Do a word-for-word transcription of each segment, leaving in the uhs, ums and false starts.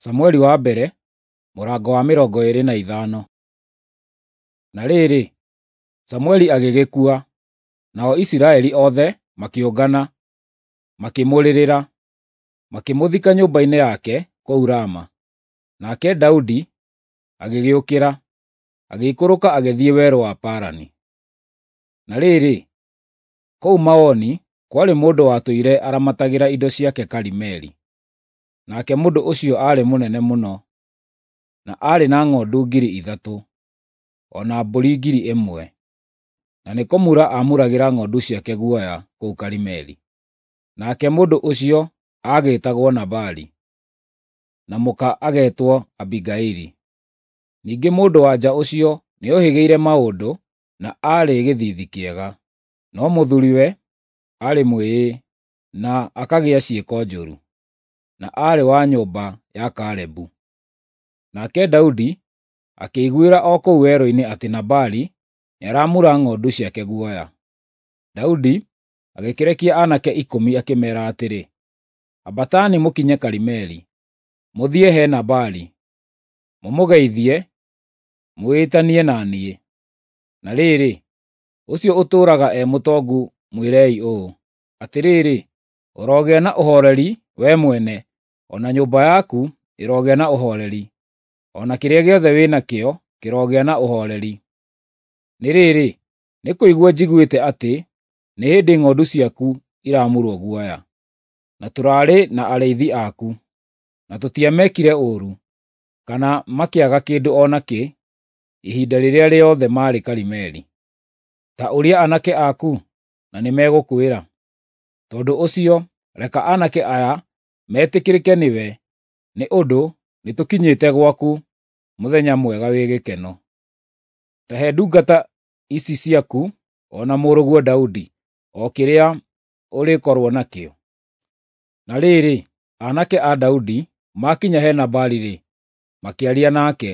Samueli wa mbere, mũrango wa mĩrongo ĩĩrĩ na ithano. Na rĩrĩ, Samueli agĩgĩkua, nao Isiraeli othe makĩũngana, makĩmũrĩrĩra, makĩmũthika nyũmba-inĩ yake kũu Rama. Nake Daudi agĩgĩũkĩra, agĩikũrũka agĩthiĩ werũ wa Parani. Na rĩrĩ, kũu Maoni kwarĩ mũndũ watũire aramatagĩra indo ciake Karimeli. Nake mũndũ ũcio aarĩ mũnene mũno, na aarĩ na ng'ondu ngiri ithatũ, o na mbũri ngiri ĩmwe, na nĩ kũmura aamuragĩra ng'ondu ciake guoya kũu Karimeli. Nake mũndũ ũcio aagĩĩtagwo Nabali, na mũka agetwo Abigaili. Ningĩ mũndũ-wa-nja ũcio nĩohĩgĩire maũndũ na aarĩ gĩthiithi kĩega, no mũthuuriwe aarĩ mwĩĩĩ na akagĩa ciĩko njũru, na aarĩ wa nyũmba ya Kalebu. Nake Daudi akĩiguĩra o kũu werũ-inĩ atĩ Nabali nĩaramura ng'ondu ciake guoya. Daudi agĩkĩrekia aanake ikũmi akĩmeera atĩrĩ, “Ambatani mũkinye Karimeli, mũthiĩ he Nabali, mũmũgeithie, mwĩtanie na niĩ. Na rĩrĩ, ũcio ũtũũraga e mũtongu mwĩrei ũũ, ‘Atĩrĩrĩ, ũrogĩa na ũhooreri wee mwene, o na nyũmba yaku ĩrogĩa na ũhooreri, o na kĩrĩa gĩothe wĩ nakĩo kĩrogĩa na ũhooreri.’ Nĩ rĩrĩ, nĩ kũigua njiguĩte atĩ nĩ hĩndĩ ng'ondu ciaku iramurwo guoya. Na tũraarĩ na arĩithi aku, na tũtiamekire ũũru, kana makĩaga kĩndũ o nakĩ ihinda rĩrĩa rĩothe maarĩ Karimeli. Ta ũria aanake aku, na nĩmegũkwĩra. Tondũ ũcio reka aanake aya metĩkĩrĩke nĩwe, nĩ ũndũ nĩtũkinyĩte gwaku mũthenya mwega wĩ gĩkeno. Ta he ndungata ici ciaku o na mũrũguo Daudi o kĩrĩa ũrĩkorwo nakĩo.” Na rĩrĩ, aanake a Daudi maakinya he Nabali-rĩ, makĩaria nake,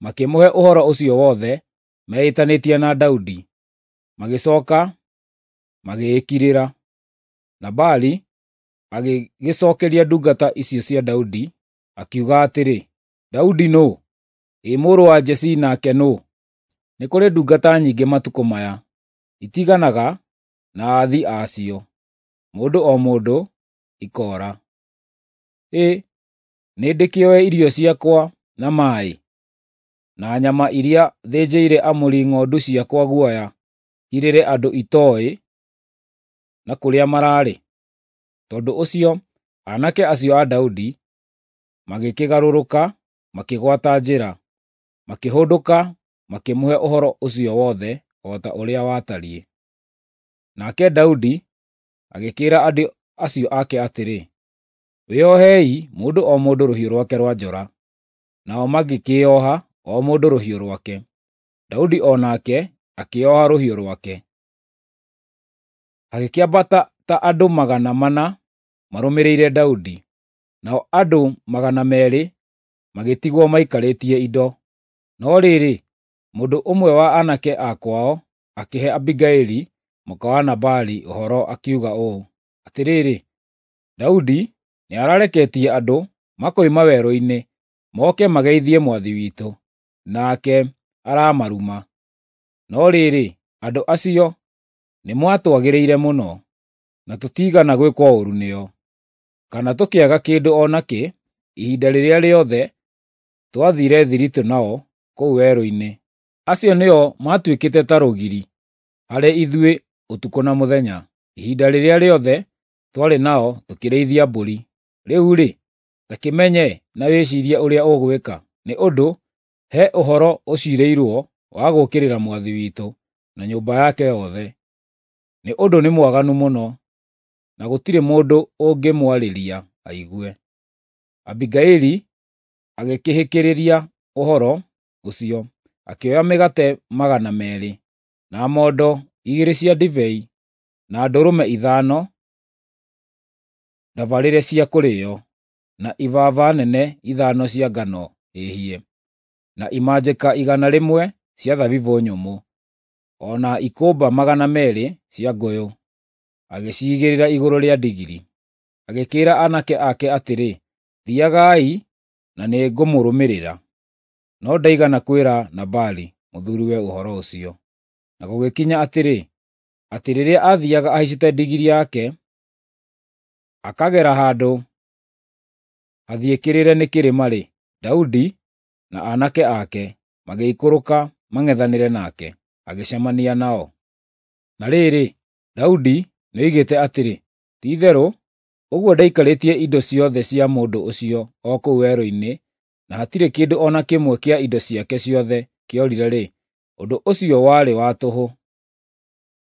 makĩmũhe ũhoro ũcio wothe meĩtanĩtie na Daudi, magĩcooka magĩĩkirĩra. Nabali agĩgĩcookeria ndungata icio cia Daudi, akiuga atĩrĩ, “Daudi nũũ? Ĩ mũrũ wa Jesii nake nũũ? Nĩ kũrĩ ndungata nyingĩ matukũ maya, itiganaga na aathi a cio, mũndũ o mũndũ ikoora. Ĩ, nĩndĩkĩoe irio ciakwa na maaĩ, na nyama iria thĩnjĩire amuri ng'ondu ciakwa guoya hirĩre andũ itooĩ na kũrĩa maraarĩ?” Tondũ ũcio aanake acio a Daudi magĩkĩgarũrũka makĩgwata njĩra, makĩhũndũka makĩmũhe ũhoro ũcio wothe o ta ũrĩa watariĩ. Nake Daudi agĩkĩĩra andũ acio ake atĩrĩ, “Wĩohei mũndũ o mũndũ rũhiũ rwake rwa njora.” Nao magĩkĩĩoha o mũndũ rũhiũ rwake. Daudi o nake akĩĩoha rũhiũ rwake. Hagĩkĩambata ta andũ magana mana marũmĩrĩire Daudi, nao andũ magana meerĩ magĩtigwo maikarĩtie indo. No rĩrĩ, mũndũ ũmwe wa aanake a kwao akĩhe Abigaili mũka wa Nabali ũhoro akiuga ũũ, “Atĩrĩrĩ, Daudi nĩarareketie andũ makoima werũ-inĩ moke mageithie mwathi witũ, nake aramaruma. No rĩrĩ, andũ acio nĩmatwagĩrĩire mũno, na tũtiigana gwĩkwo ũũru nĩo, kana tũkĩaga kĩndũ o nakĩ ihinda rĩrĩa rĩothe twathiire thiritũ nao kũu werũ-inĩ. Acio nĩo maatuĩkĩte ta rũgiri harĩ ithuĩ ũtukũ na mũthenya, ihinda rĩrĩa rĩothe twarĩ nao tũkĩrĩithia mbũri. Rĩu-rĩ, ta kĩmenye na wĩciirie ũrĩa ũgwĩka, nĩ ũndũ he ũhoro ũciirĩirwo wa gũũkĩrĩra mwathi witũ na nyũmba yake yothe, nĩ ũndũ nĩ mwaganu mũno, na gũtirĩ mũndũ ũngĩmwarĩria aigue.” Abigaili agĩkĩhĩkĩrĩria ũhoro ũcio, akĩoya mĩgate magana meerĩ, na mondo igĩrĩ cia ndibei, na ndũrũme ithano ndabarĩre cia kũrĩĩo, na ibaba nene ithano cia ngano hĩhie, na imanjĩka igana rĩmwe cia thabibũ nyũmũ, o na ikũmba magana meerĩ cia ngũyũ, agĩciigĩrĩra igũrũ rĩa ndigiri. Agĩkĩĩra aanake ake atĩrĩ, “Thiiagai na nĩngũmũrũmĩrĩra. No ndaigana kwĩra Nabali mũthuriwe ũhoro ũcio. Na gũgĩkinya atĩrĩ, atĩ rĩrĩa aathiiaga ahaicĩte ndigiri yake, akagera handũ hathiĩkĩrĩre nĩ kĩrĩma-rĩ, Daudi na aanake ake magĩikũrũka mang'ethanĩre nake, agĩcemania nao. Na rĩrĩ, Daudi nĩoigĩte atĩrĩ, “Ti-itherũ ũguo ndaikarĩtie indo ciothe cia mũndũ ũcio o kũu werũ-inĩ, na hatirĩ kĩndũ o na kĩmwe kĩa indo ciake ciothe kĩorire-rĩ, ũndũ ũcio warĩ wa tũhũ.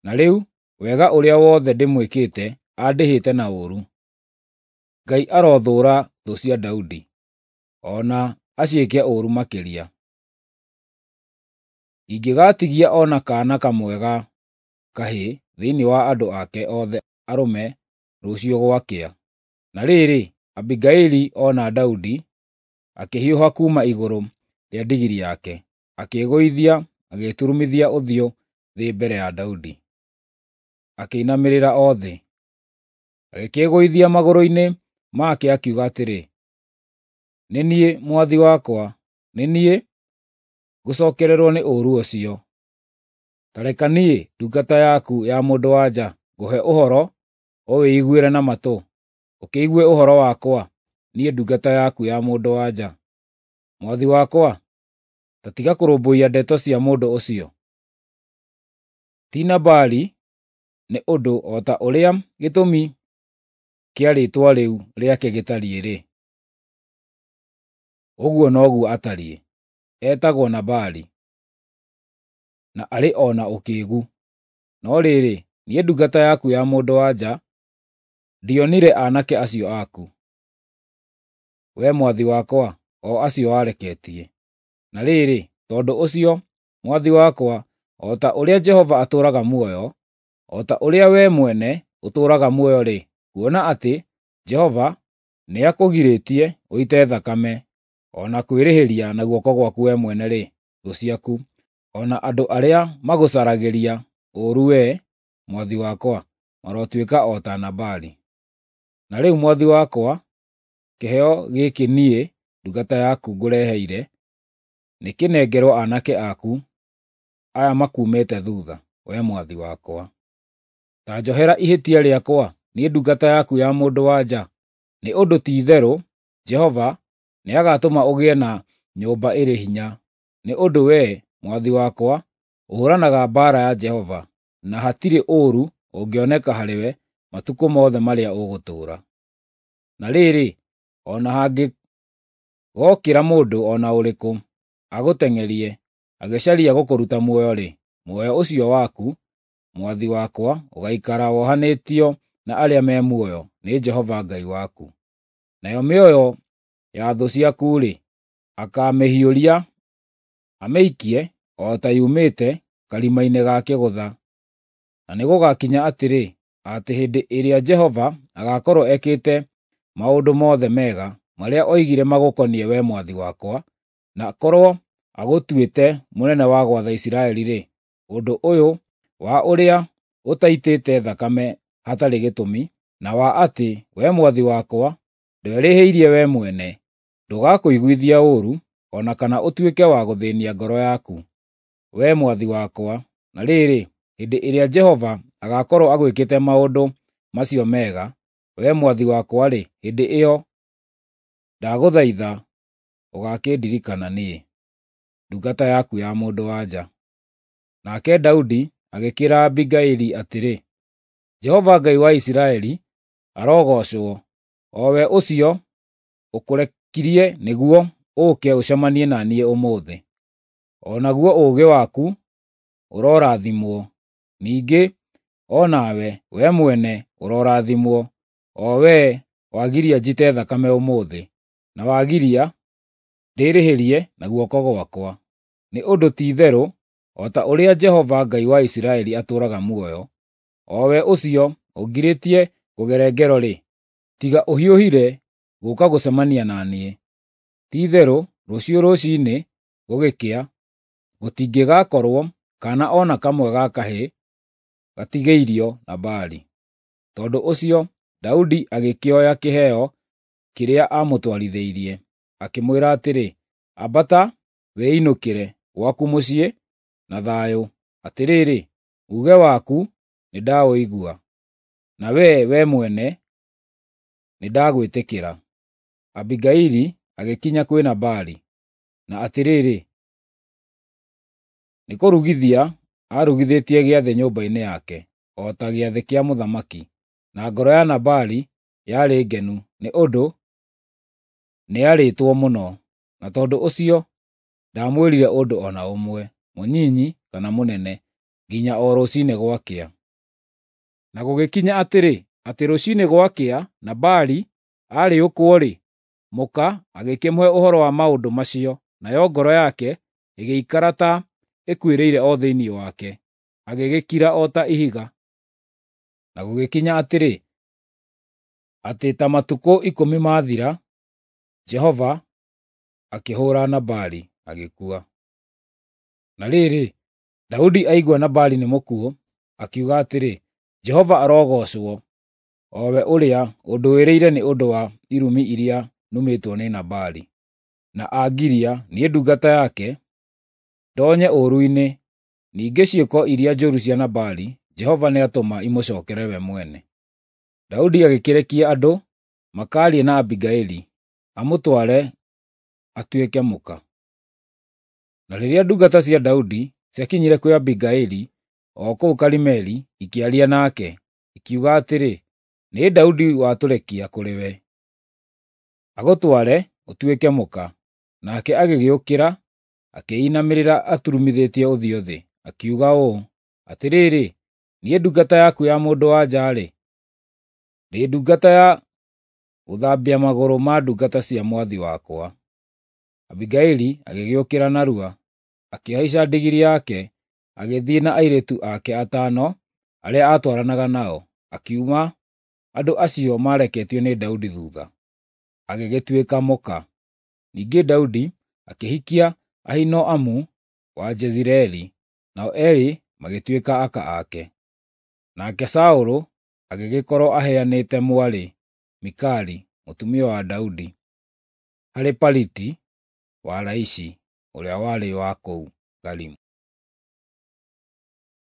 Na rĩu wega ũrĩa wothe ndĩmwĩkĩte andĩhĩte na ũũru. Ngai arothũũra thũ cia Daudi, o na aciĩke ũũru makĩria. Ingĩgaatigia o na kaana kamwe ga kahĩĩ thĩinĩ wa andũ ake othe arũme rũciũ gwakĩa.” Na rĩrĩ, Abigaili ona Daudi, akĩhiũha kuuma igũrũ rĩa ndigiri yake, akĩĩgũithia agĩturumithia ũthiũ thĩ mbere ya Daudi, akĩinamĩrĩra o thĩ. Agĩkĩĩgũithia magũrũ-inĩ make akiuga atĩrĩ, “Nĩ niĩ, mwathi wakwa, nĩ niĩ ngũcookererwo nĩ ũũru ũcio. Ta reka niĩ, ndungata yaku ya mũndũ-wa-nja, ngũhe ũhoro ũwĩiguĩre na matũ, ũkĩigue ũhoro wakwa, niĩ ndungata yaku ya mũndũ-wa-nja. Mwathi wakwa, ta tiga kũrũmbũiya ndeto cia mũndũ ũcio. Ti Nabali, nĩ ũndũ o ta ũrĩa gĩtũmi kĩa rĩĩtwa rĩu rĩake gĩtariĩ-rĩ, ũguo noguo atariĩ. Etagwo Nabali, na arĩ o na ũkĩĩgu. No rĩrĩ, niĩ ndungata yaku ya mũndũ-wa-nja ndionire aanake acio aku, wee mwathi wakwa, o acio wareketie. Na rĩrĩ, tondũ ũcio, mwathi wakwa, o ta ũrĩa Jehova atũũraga muoyo, o ta ũrĩa wee mwene ũtũũraga muoyo-rĩ, kuona atĩ Jehova nĩakũgirĩtie ũite thakame, o na kwĩrĩhĩria na guoko gwaku wee mwene-rĩ, thũ ciaku, o na andũ arĩa magũcaragĩria ũũru wee, mwathi wakwa, marotuĩka o ta Nabali. Na rĩu mwathi wakwa, kĩheo gĩkĩ niĩ ndungata yaku ngũreheire nĩkĩnengerwo aanake aku aya makuumĩte thuutha, wee mwathi wakwa. Ta njohera ihĩtia rĩakwa, niĩ ndungata yaku ya mũndũ-wa-nja, nĩ ũndũ ti-itherũ Jehova nĩagatũma ũgĩe na nyũmba ĩrĩ hinya, nĩ ũndũ wee, mwathi wakwa, ũhũũranaga mbaara ya Jehova, na hatirĩ ũũru ũngĩoneka harĩwe matukũ mothe marĩa ũgũtũũra. Na rĩrĩ, o na hangĩgookĩra mũndũ o na ũrĩkũ agũteng'erie, agĩcaria gũkũruta muoyo-rĩ, muoyo ũcio waku, mwathi wakwa, ũgaikara wohanĩtio na arĩa me muoyo nĩ Jehova Ngai waku. Nayo mĩoyo ya thũ ciaku-rĩ, akaamĩhiũria amĩikie o ta yumĩte karima-inĩ ga kĩgũtha. Na nĩgũgakinya atĩrĩ, atĩ hĩndĩ ĩrĩa Jehova agaakorwo ekĩte maũndũ mothe mega marĩa oigire magũkoniĩ wee mwathi wakwa, na akorwo agũtuĩte mũnene wa gwatha Isiraeli-rĩ, ũndũ ũyũ wa ũrĩa ũtaitĩte thakame hatarĩ gĩtũmi, na wa atĩ wee mwathi wakwa ndwerĩhĩirie wee mwene, ndũgakũiguithia ũũru, o na kana ũtuĩke wa gũthĩĩnia ngoro yaku, wee mwathi wakwa. Na rĩrĩ, hĩndĩ ĩrĩa Jehova agaakorwo agwĩkĩte maũndũ macio mega, wee mwathi wakwa-rĩ, hĩndĩ ĩyo ndagũthaitha ũgaakĩndirikana niĩ, ndungata yaku ya mũndũ-wa-nja. Nake Daudi agĩkĩĩra Abigaili atĩrĩ, “Jehova Ngai wa Isiraeli arogoocwo, o we ũcio ũkũrekirie nĩguo ũũke ũcemanie na niĩ ũmũthĩ. O naguo ũũgĩ waku ũrorathimwo, ningĩ o nawe, wee mwene ũrorathimwo, o wee wagiria njite thakame ũmũthĩ, na wagiria ndĩĩrĩhĩrie na guoko gwakwa. Nĩ ũndũ ti-itherũ o ta ũrĩa Jehova Ngai wa Isiraeli atũũraga muoyo, o we ũcio ũngirĩtie kũgere ngero-rĩ, tiga ũhiũhire gũũka gũcemania na niĩ. Ti-itherũ rũciũ rũciinĩ gũgĩkĩa, gũtingĩgakorwo kaana o na kamwe ga kahĩĩ gatigĩirio Nabali.” Tondũ ũcio Daudi agĩkĩoya kĩheo kĩrĩa aamũtwarithĩirie, akĩmwĩra atĩrĩ, “Ambata wĩinũkĩre gwaku mũciĩ na thayũ. Atĩrĩrĩ, uuge waku nĩndaũigua, na wee we mwene nĩndagwĩtĩkĩra.” Abigaili agĩkinya kwĩ Nabali, na atĩrĩrĩ, nĩkũrugithia aarugithĩtie gĩathĩ nyũmba-inĩ yake, o ta gĩathĩ kĩa mũthamaki, na ngoro ya Nabali yarĩ ngenu nĩ ũndũ nĩarĩĩtwo mũno, na tondũ ũcio ndaamwĩrire ũndũ o na ũmwe, mũnyinyi kana mũnene, nginya o rũciinĩ gwakĩa. Na gũgĩkinya atĩrĩ, atĩ rũciinĩ gwakĩa Nabali aarĩũkwo-rĩ, mũka agĩkĩmũhe ũhoro wa maũndũ macio, nayo ngoro yake ĩgĩikara ta ĩkuĩrĩire o thĩinĩ wake, agĩgĩkira o ta ihiga. Na gũgĩkinya atĩrĩ, atĩ ta matukũ ikũmi maathira, Jehova akĩhũũra Nabali, agĩkua. Na rĩrĩ, Daudi aigua Nabali nĩ mũkuũ, akiuga atĩrĩ, “Jehova arogoocwo, o we ũrĩa ũndũĩrĩire nĩ ũndũ wa irumi iria numĩtwo nĩ Nabali, na angiria, niĩ ndungata yake, ndonye ũũru-inĩ. Ningĩ ciĩko iria njũru cia Nabali, Jehova nĩatũma imũcookerere we mwene.” Daudi agĩkĩrekia andũ makaarie na Abigaili, amũtware atuĩke mũka. Na rĩrĩa ndungata cia Daudi ciakinyire kwĩ Abigaili o kũu Karimeli, ikĩaria nake, ikiuga atĩrĩ, “Nĩ Daudi watũrekia kũrĩ we, agũtware ũtuĩke mũka.” Nake agĩgĩũkĩra, akĩinamĩrĩra aturumithĩtie ũthiũ thĩ, akiuga ũũ, “Atĩrĩrĩ, niĩ ndungata yaku ya mũndũ-wa-nja-rĩ, ndĩ ndungata ya gũthambia magũrũ ma ndungata cia mwathi wakwa.” Abigaili agĩgĩũkĩra narua, akĩhaica ndigiri yake, agĩthiĩ na airĩtu ake atano arĩa aatwaranaga nao, akiuma andũ acio maareketio nĩ Daudi thuutha, agĩgĩtuĩka mũka. Ningĩ Daudi akĩhikia Ahinoamu wa Jezireeli, nao eerĩ magĩtuĩka aka ake. Nake Saũlũ agĩgĩkorwo aheanĩte mwarĩ, Mikali, mũtumia wa Daudi, harĩ Paliti wa Laishi, ũrĩa warĩ wa kũu Galimu.